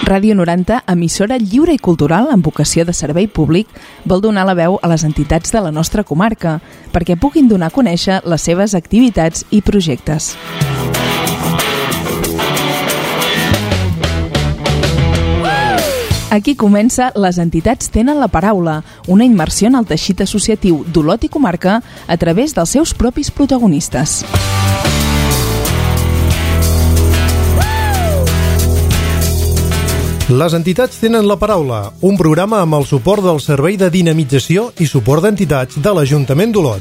Ràdio 90, emissora lliure i cultural amb vocació de servei públic, vol donar la veu a les entitats de la nostra comarca perquè puguin donar a conèixer les seves activitats i projectes. Aquí comença Les entitats tenen la paraula, una immersió en el teixit associatiu d'Olot i comarca a través dels seus propis protagonistes. Les entitats tenen la paraula, un programa amb el suport del Servei de Dinamització i Suport d'Entitats de l'Ajuntament d'Olot.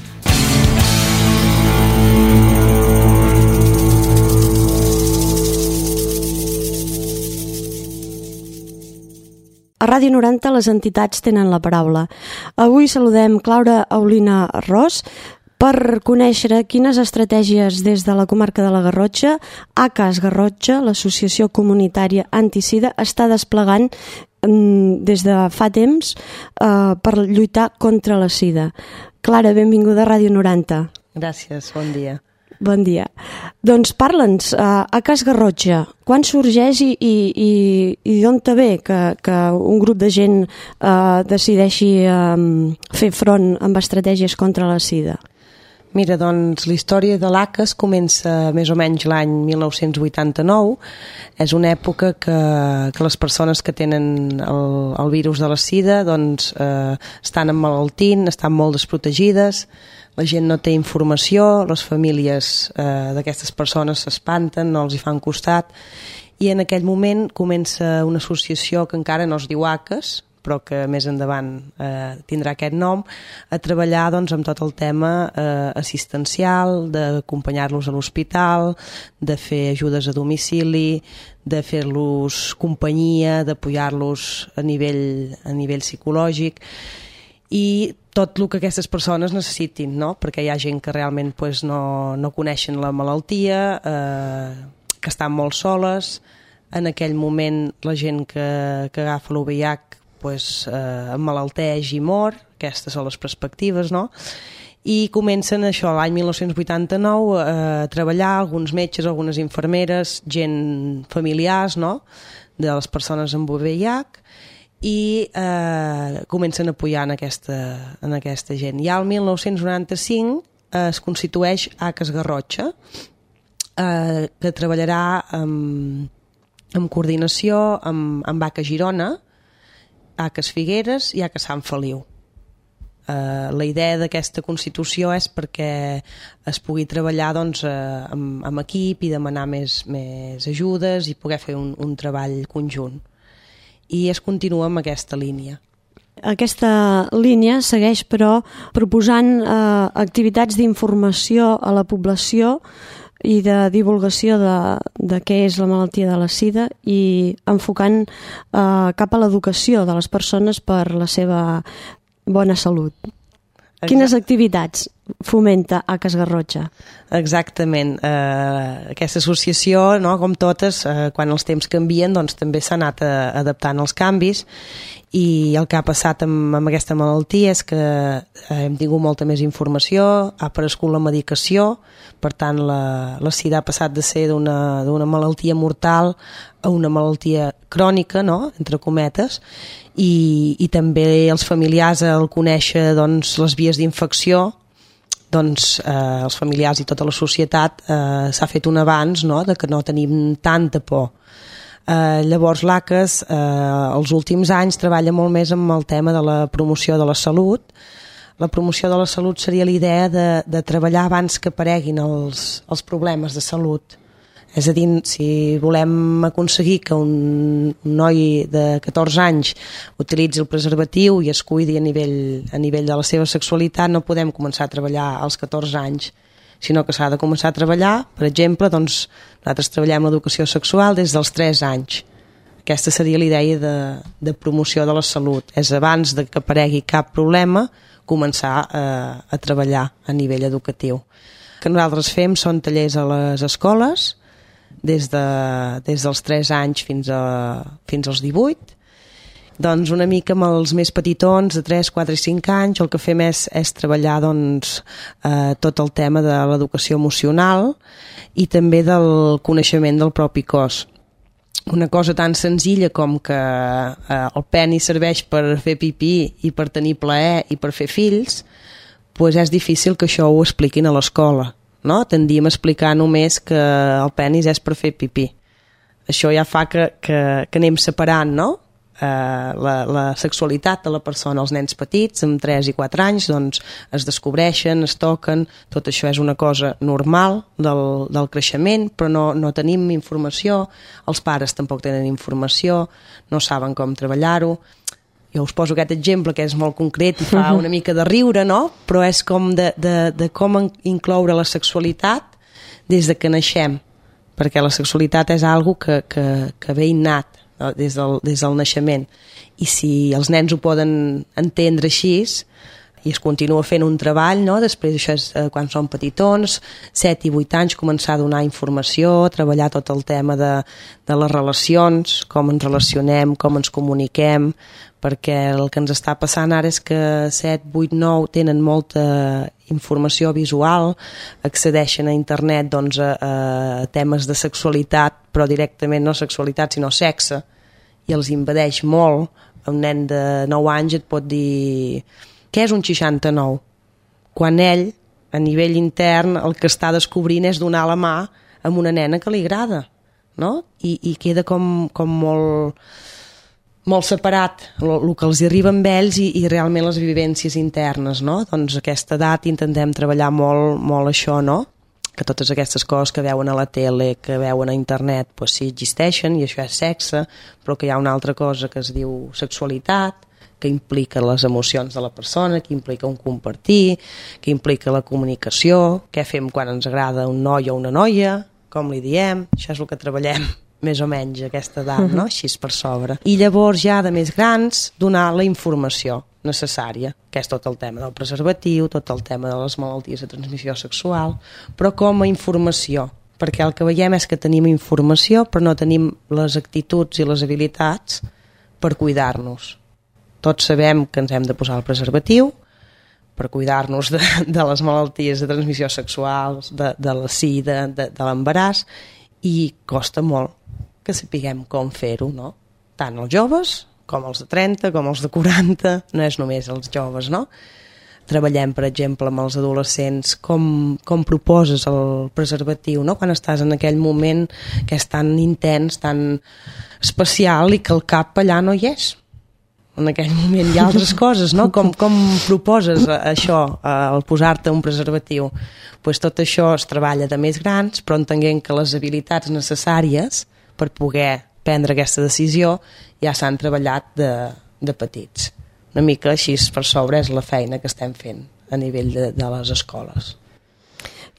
A Ràdio 90 les entitats tenen la paraula. Avui saludem Clara Aulina Ros per conèixer quines estratègies des de la comarca de la Garrotxa, ACAS Garrotxa, l'associació comunitària antisida, està desplegant des de fa temps per lluitar contra la sida. Clara, benvinguda a Ràdio 90. Gràcies, bon dia. Bon dia. Doncs parla'ns, ACAS Garrotxa, quan sorgeix i d'on te ve que un grup de gent decideixi fer front amb estratègies contra la sida? Mira, doncs la història de l'ACAS comença més o menys l'any 1989. És una època que les persones que tenen el virus de la sida doncs, estan emmalaltint, estan molt desprotegides, la gent no té informació, les famílies d'aquestes persones s'espanten, no els hi fan costat, i en aquell moment comença una associació que encara no es diu ACAS, però que més endavant tindrà aquest nom, a treballar doncs, amb tot el tema assistencial, d'acompanyar-los a l'hospital, de fer ajudes a domicili, de fer-los companyia, d'apoyar-los a nivell psicològic, i tot el que aquestes persones necessitin, no? Perquè hi ha gent que realment pues, no coneixen la malaltia, que estan molt soles. En aquell moment la gent que agafa l'VIH pues, emmalalteix i mor, aquestes són les perspectives, no? I comencen això l'any 1989 a treballar alguns metges, algunes infermeres, gent familiars, no?, de les persones amb VIH, i comencen a apoyar en aquesta gent. I al 1995 es constitueix ACAS Garrotxa, que treballarà en coordinació amb ACAS Girona, ACAS Figueres i ACAS Sant Feliu. La idea d'aquesta constitució és perquè es pugui treballar doncs, amb equip i demanar més ajudes i poder fer un treball conjunt. I es continua amb aquesta línia. Aquesta línia segueix, però, proposant activitats d'informació a la població i de divulgació de què és la malaltia de la sida i enfocant cap a l'educació de les persones per la seva bona salut. Quines activitats fomenta ACAS Garrotxa? Exactament. Aquesta associació, no, com totes, quan els temps canvien, doncs també s'ha anat adaptant als canvis, i el que ha passat amb aquesta malaltia és que hem tingut molta més informació, ha aparegut la medicació, per tant la sida ha passat de ser d'una malaltia mortal a una malaltia crònica, no?, entre cometes, i també els familiars al conèixer doncs, les vies d'infecció, doncs els familiars i tota la societat s'ha fet un avanç, no?, de que no tenim tanta por. Llavors l'ACAS els últims anys treballa molt més amb el tema de la promoció de la salut. La promoció de la salut seria la idea de treballar abans que apareguin els problemes de salut. És a dir, si volem aconseguir que un noi de 14 anys utilitzi el preservatiu i es cuidi a nivell de la seva sexualitat, no podem començar a treballar als 14 anys, sinó que s'ha de començar a treballar, per exemple, doncs, nosaltres treballem l'educació sexual des dels 3 anys. Aquesta seria la idea de promoció de la salut. És abans de que aparegui cap problema, començar a treballar a nivell educatiu. El que nosaltres fem són tallers a les escoles, des dels 3 anys fins als 18. Doncs una mica amb els més petitons, de 3, 4 i 5 anys, el que fem és treballar doncs, tot el tema de l'educació emocional i també del coneixement del propi cos. una cosa tan senzilla com que el penis serveix per fer pipí i per tenir plaer i per fer fills, doncs és difícil que això ho expliquin a l'escola, no? Tendim a explicar només que el penis és per fer pipí. Això ja fa que anem separant, no? La sexualitat de la persona. Els nens petits, amb 3 i 4 anys, doncs es descobreixen, es toquen, tot això és una cosa normal del creixement, però no tenim informació, els pares tampoc tenen informació, no saben com treballar-ho. Jo us poso aquest exemple que és molt concret i fa una mica de riure, no? Però és com de com incloure la sexualitat des de que naixem, perquè la sexualitat és algo que ve innat des del naixement, i si els nens ho poden entendre així i es continua fent un treball, no? Després això és quan són petitons, 7 i 8 anys, començar a donar informació, treballar tot el tema de les relacions, com ens relacionem, com ens comuniquem, perquè el que ens està passant ara és que 7, 8, 9 tenen molta informació visual, accedeixen a internet doncs, a temes de sexualitat, però directament no sexualitat sinó sexe, i els impedeix molt. Un nen de 9 anys et pot dir què és un 69? Quan ell, a nivell intern, el que està descobrint és donar la mà a una nena que li agrada, no? I queda com molt separat el que els arriba amb ells i realment les vivències internes, no? Doncs a aquesta edat intentem treballar molt això, no? Que totes aquestes coses que veuen a la tele, que veuen a internet, doncs sí existeixen i això és sexe, però que hi ha una altra cosa que es diu sexualitat, que implica les emocions de la persona, que implica un compartir, que implica la comunicació, què fem quan ens agrada un noi o una noia, com li diem, això és el que treballem més o menys a aquesta edat, no? Així per sobre. I llavors ja de més grans donar la informació necessària, que és tot el tema del preservatiu, tot el tema de les malalties de transmissió sexual, però com a informació, perquè el que veiem és que tenim informació però no tenim les actituds i les habilitats per cuidar-nos. Tots sabem que ens hem de posar el preservatiu per cuidar-nos de les malalties de transmissió sexual, de la sida, de l'embaràs, i costa molt que sapiguem com fer-ho, no? Tant els joves com els de 30, com els de 40, no és només els joves, no? Treballem, per exemple, amb els adolescents, com proposes el preservatiu, no? Quan estàs en aquell moment que és tan intens, tan especial i que el cap allà no hi és. En aquell moment hi ha altres coses, no? Com proposes això, el posar-te un preservatiu? Pues tot això es treballa de més grans, però entenent que les habilitats necessàries per poder prendre aquesta decisió ja s'han treballat de petits. Una mica així per sobre és la feina que estem fent a nivell de les escoles.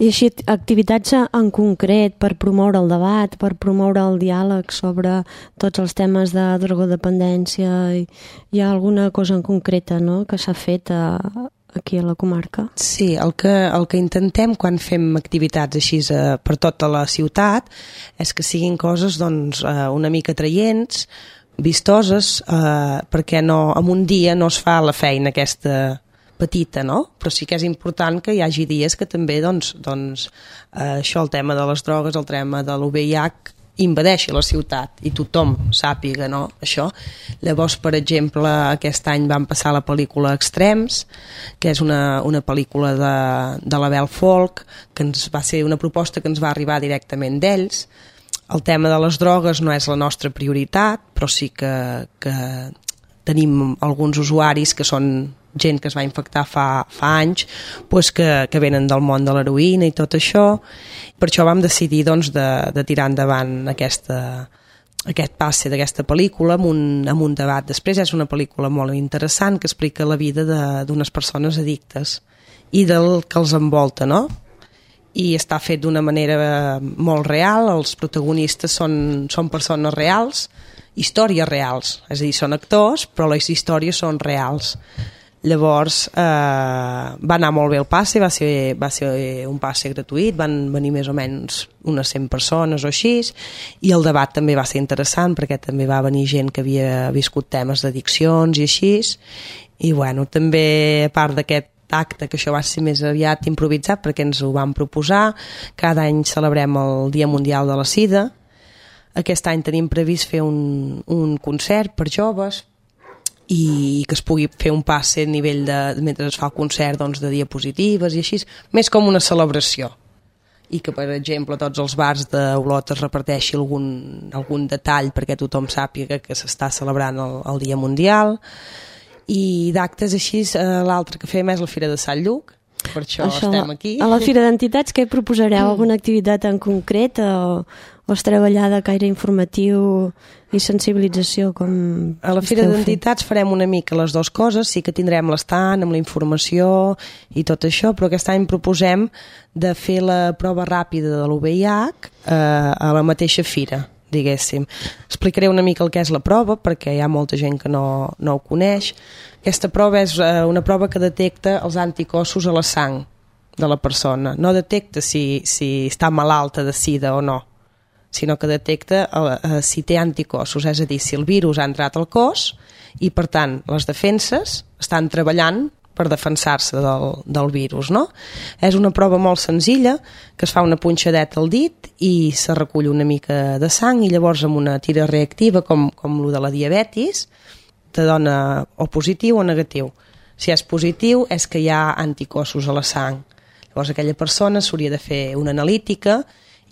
I així, activitats en concret per promoure el debat, per promoure el diàleg sobre tots els temes de drogodependència, hi ha alguna cosa en concreta, no?, que s'ha fet aquí a la comarca? Sí, el que intentem quan fem activitats així per tota la ciutat és que siguin coses doncs, una mica atraients, vistoses, perquè no, en un dia no es fa la feina aquesta petita, no? Però sí que és important que hi hagi dies que també doncs, això, el tema de les drogues, el tema de l'UVIH invadeixi la ciutat i tothom sàpiga, no? Això. Llavors, per exemple, aquest any vam passar la pel·lícula Extrems, que és una pel·lícula de l'Abel Folk, que ens va ser una proposta que ens va arribar directament d'ells. El tema de les drogues no és la nostra prioritat, però sí que tenim alguns usuaris que són gent que es va infectar fa anys, doncs que venen del món de l'heroïna i tot això. Per això vam decidir doncs, de tirar endavant aquest passe d'aquesta pel·lícula amb un debat. Després és una pel·lícula molt interessant que explica la vida d'unes persones addictes i del que els envolta, no? I està fet d'una manera molt real, els protagonistes són persones reals, històries reals, és a dir, són actors, però les històries són reals. Llavors va anar molt bé el passe, va ser un passe gratuït, van venir més o menys unes 100 persones o així, i el debat també va ser interessant perquè també va venir gent que havia viscut temes d'addiccions i així, i bueno, també a part d'aquest acte, que això va ser més aviat improvisat perquè ens ho vam proposar, cada any celebrem el Dia Mundial de la Sida. Aquest any tenim previst fer un concert per joves i que es pugui fer un passe a nivell mentre es fa el concert, doncs, de diapositives i així, més com una celebració. I que, per exemple, tots els bars d'Olot es reparteixi algun detall perquè tothom sàpiga que s'està celebrant el Dia Mundial. I d'actes així, l'altre que fem és la Fira de Sant Lluc, per això estem aquí. A la Fira d'Entitats, què proposareu? Alguna activitat en concret o es treballa de caire informatiu i sensibilització? A la Fira d'Entitats farem una mica les dues coses, sí que tindrem l'estant amb la informació i tot això, però aquest any proposem de fer la prova ràpida de l'UVIH a la mateixa fira, diguéssim. Explicaré una mica el que és la prova, perquè hi ha molta gent que no ho coneix. Aquesta prova és una prova que detecta els anticossos a la sang de la persona. No detecta si està malalta de sida o no, sinó que detecta si té anticossos, és a dir, si el virus ha entrat al cos i, per tant, les defenses estan treballant per defensar-se del virus, no? És una prova molt senzilla, que es fa una punxadeta al dit i se recull una mica de sang i llavors amb una tira reactiva, com el de la diabetis, te dona o positiu o negatiu. Si és positiu és que hi ha anticossos a la sang. Llavors aquella persona s'hauria de fer una analítica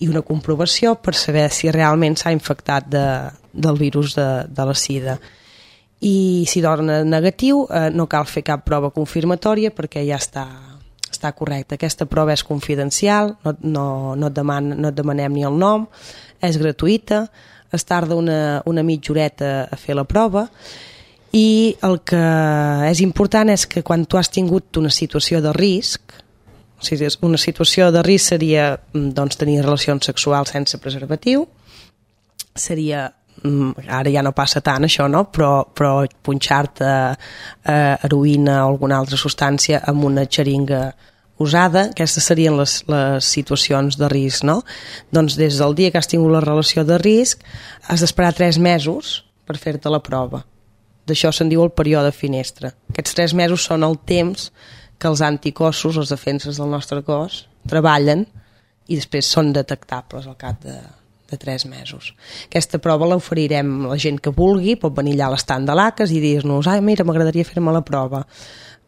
i una comprovació per saber si realment s'ha infectat del virus de la sida. I si dona negatiu no cal fer cap prova confirmatòria perquè ja està correcte. Aquesta prova és confidencial, no et demanem ni el nom, és gratuïta, es tarda una mitja horeta a fer la prova i el que és important és que quan tu has tingut una situació de risc, o sigui, una situació de risc seria doncs, tenir relacions sexuals sense preservatiu, seria, ara ja no passa tant això, no? però punxar-te heroïna o alguna altra substància amb una xeringa usada, aquestes serien les situacions de risc, no? Doncs des del dia que has tingut la relació de risc has d'esperar 3 mesos per fer-te la prova. D'això se'n diu el període finestra. Aquests 3 mesos són el temps que els anticossos, les defenses del nostre cos, treballen i després són detectables al cap de 3 mesos. Aquesta prova l'oferirem a la gent que vulgui, pot venir allà a l'estand de l'ACAS i dir-nos mira, m'agradaria fer-me la prova.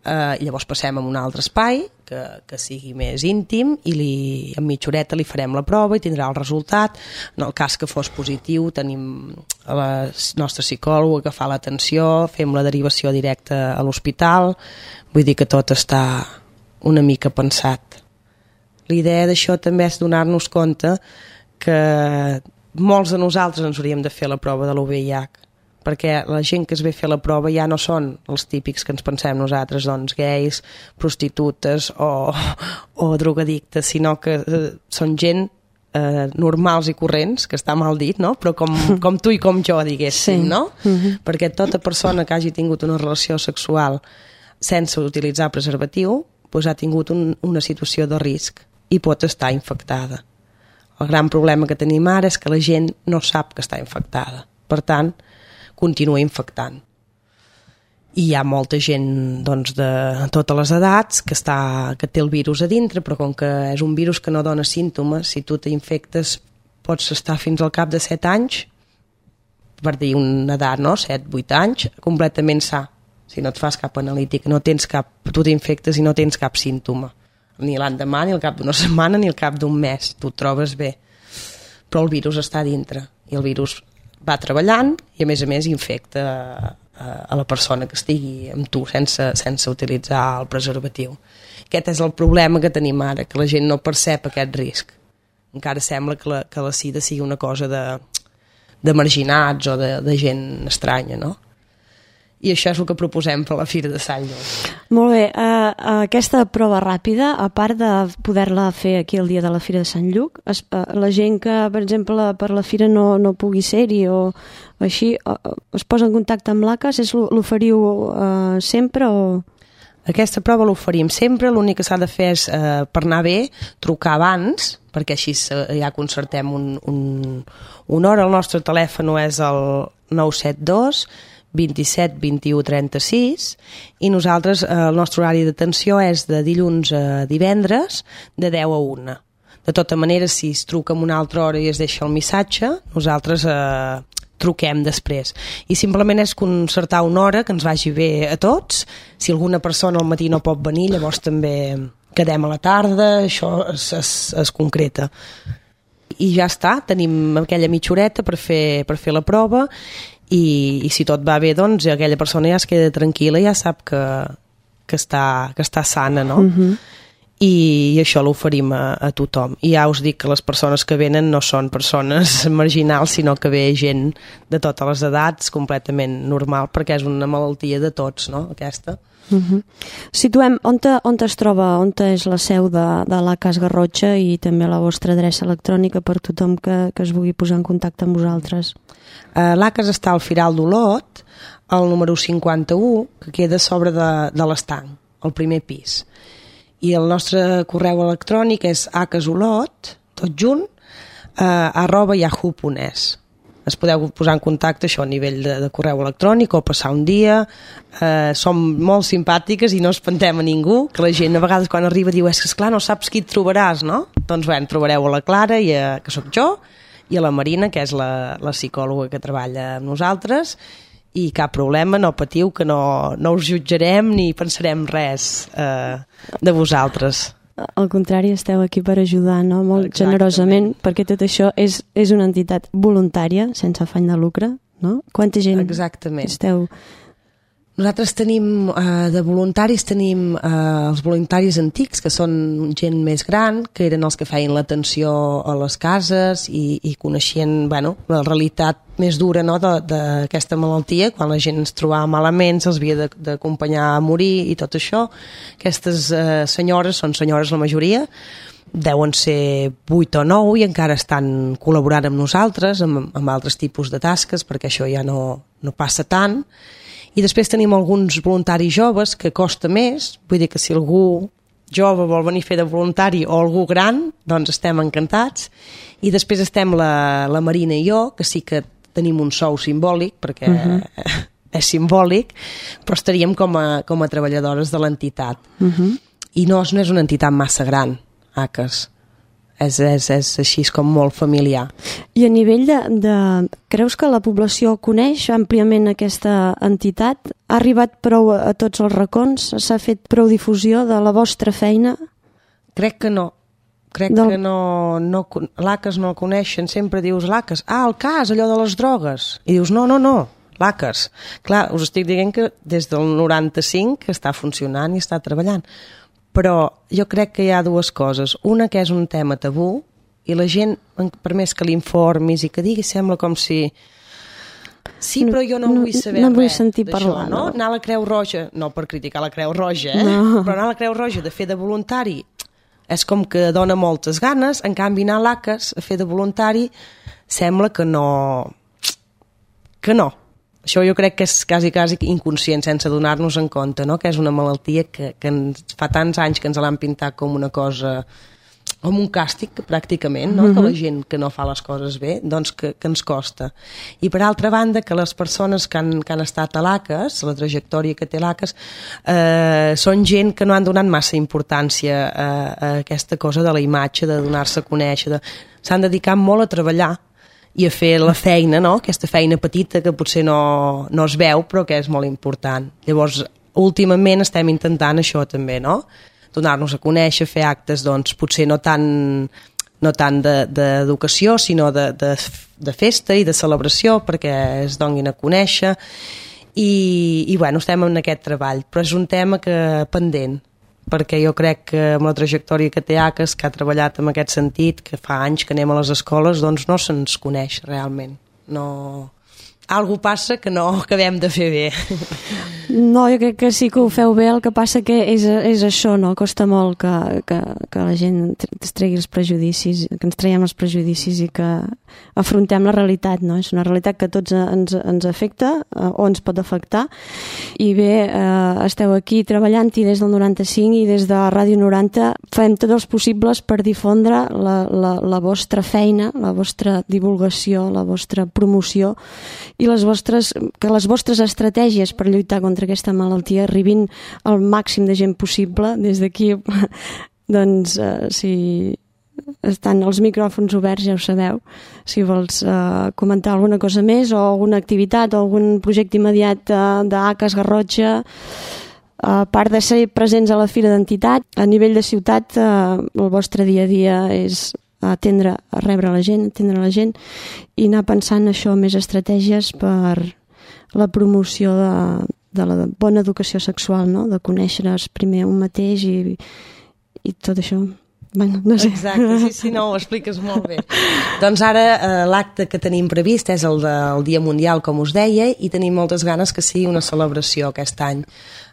Llavors passem a un altre espai que sigui més íntim i en mitja horeta li farem la prova i tindrà el resultat. En el cas que fos positiu tenim la nostra psicòloga que fa l'atenció, fem la derivació directa a l'hospital, vull dir que tot està una mica pensat. La idea d'això també és donar-nos compte que molts de nosaltres ens hauríem de fer la prova de l'UVIH, perquè la gent que es ve a fer la prova ja no són els típics que ens pensem nosaltres, doncs gais, prostitutes o drogadictes, sinó que són gent normals i corrents, que està mal dit, no? Però com tu i com jo, diguéssim, sí. No? Perquè tota persona que hagi tingut una relació sexual sense utilitzar preservatiu doncs ha tingut una situació de risc i pot estar infectada. El gran problema que tenim ara és que la gent no sap que està infectada. Per tant, continua infectant. I hi ha molta gent doncs, de totes les edats que té el virus a dintre, però com que és un virus que no dona símptomes, si tu t'infectes pots estar fins al cap de 7 anys, per dir una edat, no? 7-8 anys, completament sa. Si no et fas cap analític, tu t'infectes i no tens cap símptoma. Ni l'endemà, ni al cap d'una setmana, ni al cap d'un mes. Tu et trobes bé. Però el virus està a dintre i el virus va treballant i a més infecta a la persona que estigui amb tu sense utilitzar el preservatiu. Aquest és el problema que tenim ara, que la gent no percep aquest risc. Encara sembla que la sida sigui una cosa de marginats o de gent estranya, no? I això és el que proposem per la Fira de Sant Lluc. Molt bé, aquesta prova ràpida, a part de poder-la fer aquí el dia de la Fira de Sant Lluc, la gent que, per exemple, per la Fira no pugui ser-hi o així, es posa en contacte amb l'ACAS, l'oferiu sempre o...? Aquesta prova l'oferim sempre, l'únic que s'ha de fer és, per anar bé, trucar abans, perquè així ja concertem una hora. El nostre telèfon és el 972 27 21 36 i nosaltres el nostre horari d'atenció és de dilluns a divendres de 10 a 1. De tota manera, si es truca en una altra hora i es deixa el missatge, nosaltres truquem després. I simplement és concertar una hora que ens vagi bé a tots. Si alguna persona al matí no pot venir, llavors també quedem a la tarda, això es concreta. I ja està, tenim aquella mitja horeta per fer la prova i si tot va bé, doncs aquella persona ja es queda tranquil·la, ja sap que està sana, no? I això l'oferim a tothom. I ja us dic que les persones que venen no són persones marginals, sinó que ve gent de totes les edats, completament normal, perquè és una malaltia de tots, no?, aquesta. Situem on es troba, on és la seu de l'ACAS Garrotxa i també la vostra adreça electrònica per tothom que es vulgui posar en contacte amb vosaltres. L'ACAS està al Firal d'Olot, al número 51, que queda a sobre de l'estanc, al primer pis. I el nostre correu electrònic és acasolot, tot junt, @yahoo.es. Es podeu posar en contacte això a nivell de correu electrònic o passar un dia. Som molt simpàtiques i no espantem a ningú, que la gent a vegades quan arriba diu és que esclar no saps qui et trobaràs, no? Doncs bé, trobareu a la Clara, que sóc jo, i a la Marina, que és la psicòloga que treballa amb nosaltres, i cap problema, no patiu, que no us jutjarem ni pensarem res de vosaltres. Al contrari, esteu aquí per ajudar, no? Molt generosament, perquè tot això és una entitat voluntària, sense afany de lucre, no? Quanta gent esteu? Nosaltres tenim, de voluntaris, tenim els voluntaris antics, que són gent més gran, que eren els que feien l'atenció a les cases i coneixien, bueno, la realitat més dura, no?, d'aquesta malaltia, quan la gent es trobava malament, se'ls havia d'acompanyar a morir i tot això. Aquestes senyores, són senyores la majoria, deuen ser 8 o 9 i encara estan col·laborant amb nosaltres, amb altres tipus de tasques, perquè això ja no passa tant. I després tenim alguns voluntaris joves que costa més, vull dir que si algú jove vol venir a fer de voluntari o algú gran, doncs estem encantats. I després estem la Marina i jo, que sí que tenim un sou simbòlic, perquè és simbòlic, però estaríem com a treballadores de l'entitat. I no és una entitat massa gran, ACAS. És així com molt familiar. I a nivell creus que la població coneix àmpliament aquesta entitat? Ha arribat prou a tots els racons? S'ha fet prou difusió de la vostra feina? Crec que no. Que l'ACAS no el coneixen. Sempre dius l'ACAS, el cas, allò de les drogues. I dius no, l'ACAS. Clar, us estic dient que des del 95 que està funcionant i està treballant. Però jo crec que hi ha dues coses. Una, que és un tema tabú, i la gent, per més que l'informis i que digui, sembla com si... Sí, però jo no vull saber no vull res sentir d'això, parlar, no? Anar a la Creu Roja, no per criticar la Creu Roja, però anar a la Creu Roja de fer de voluntari és com que dona moltes ganes, en canvi anar a l'ACAS a fer de voluntari sembla que no. Això jo crec que és quasi inconscient, sense donar-nos en compte, no? Que és una malaltia que fa tants anys que ens l'han pintat com una cosa, com un càstig, pràcticament, no? Que la gent que no fa les coses bé, doncs que ens costa. I per altra banda, que les persones que han estat a l'ACAS, la trajectòria que té l'ACAS, són gent que no han donat massa importància a aquesta cosa de la imatge, de donar-se a conèixer, s'han dedicat molt a treballar i a fer la feina, no? Aquesta feina petita que potser no es veu però que és molt important. Llavors, últimament estem intentant això també, no? Donar-nos a conèixer, fer actes, doncs, potser no tant d'educació, sinó de festa i de celebració perquè es donin a conèixer i bueno, estem en aquest treball, però és un tema pendent, perquè jo crec que amb la trajectòria que té ACAS, que ha treballat en aquest sentit, que fa anys que anem a les escoles, doncs no se'ns coneix realment. Algú passa que no acabem de fer bé. No, jo crec que sí que ho feu bé, el que passa que és això, no? Costa molt que la gent es tregui els prejudicis, que ens traiem els prejudicis i que afrontem la realitat, no? És una realitat que a tots ens afecta o ens pot afectar i bé, esteu aquí treballant-hi des del 95 i des de Ràdio 90 fem tots els possibles per difondre la vostra feina, la vostra divulgació, la vostra promoció i que les vostres estratègies per lluitar contra aquesta malaltia arribin al màxim de gent possible. Des d'aquí, doncs, si estan els micròfons oberts, ja ho sabeu, si vols comentar alguna cosa més o alguna activitat o algun projecte immediat d'ACAS Garrotxa, a part de ser presents a la Fira d'Entitat, a nivell de ciutat el vostre dia a dia és atendre la gent i anar pensant això, més estratègies per la promoció de la bona educació sexual, no? De conèixer-es primer un mateix i tot això. Bueno, no sé. Exacte, sí, no, ho expliques molt bé. Doncs ara l'acte que tenim previst és el del Dia Mundial, com us deia, i tenim moltes ganes que sigui una celebració aquest any,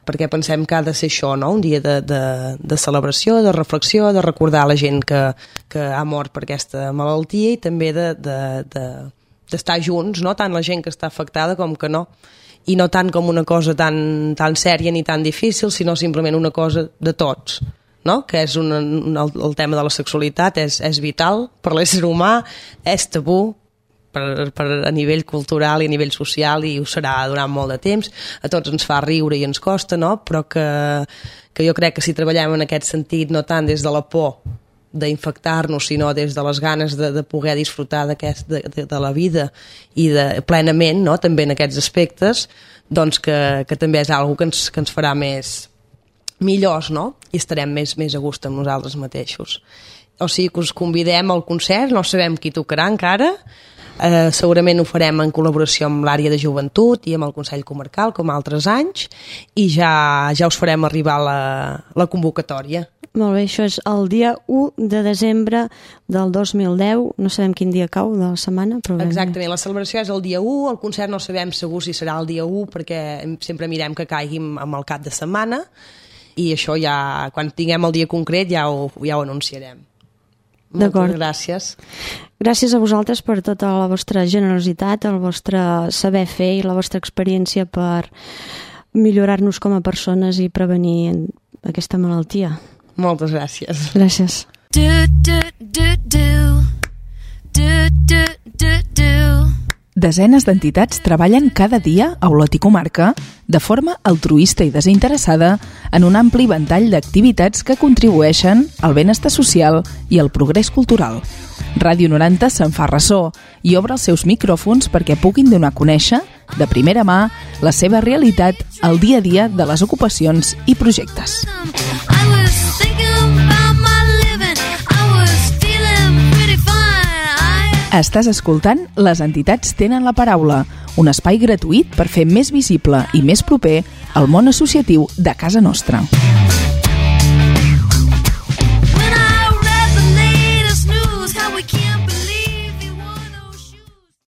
perquè pensem que ha de ser això, no? Un dia de celebració, de reflexió, de recordar la gent que ha mort per aquesta malaltia i també d'estar junts, no? Tant la gent que està afectada com que no. I no tant com una cosa tan sèria ni tan difícil, sinó simplement una cosa de tots. No? Que és el tema de la sexualitat és vital per l'ésser humà, és tabú a nivell cultural i a nivell social i ho serà durant molt de temps, a tots ens fa riure i ens costa, no? Però que jo crec que si treballem en aquest sentit, no tant des de la por d'infectar-nos, sinó des de les ganes de poder disfrutar de la vida i plenament, no? També en aquests aspectes, doncs que també és una cosa que ens farà millors, no? I estarem més a gust amb nosaltres mateixos. O sigui que us convidem al concert, no sabem qui tocarà encara, segurament ho farem en col·laboració amb l'àrea de joventut i amb el Consell Comarcal, com altres anys, i ja us farem arribar la convocatòria. Molt bé, això és el dia 1 de desembre del 2010, no sabem quin dia cau de la setmana, però... Exactament, la celebració és el dia 1, el concert no sabem segur si serà el dia 1, perquè sempre mirem que caiguin amb el cap de setmana, i això ja, quan tinguem el dia concret ja ho anunciarem. Moltes gràcies. Gràcies a vosaltres per tota la vostra generositat, el vostre saber fer i la vostra experiència per millorar-nos com a persones i prevenir aquesta malaltia. Moltes gràcies. Gràcies. Desenes d'entitats treballen cada dia a Olot i comarca de forma altruista i desinteressada en un ampli ventall d'activitats que contribueixen al benestar social i al progrés cultural. Ràdio 90 se'n fa ressò i obre els seus micròfons perquè puguin donar a conèixer, de primera mà, la seva realitat al dia a dia de les ocupacions i projectes. Estàs escoltant Les entitats tenen la paraula, un espai gratuït per fer més visible i més proper el món associatiu de casa nostra.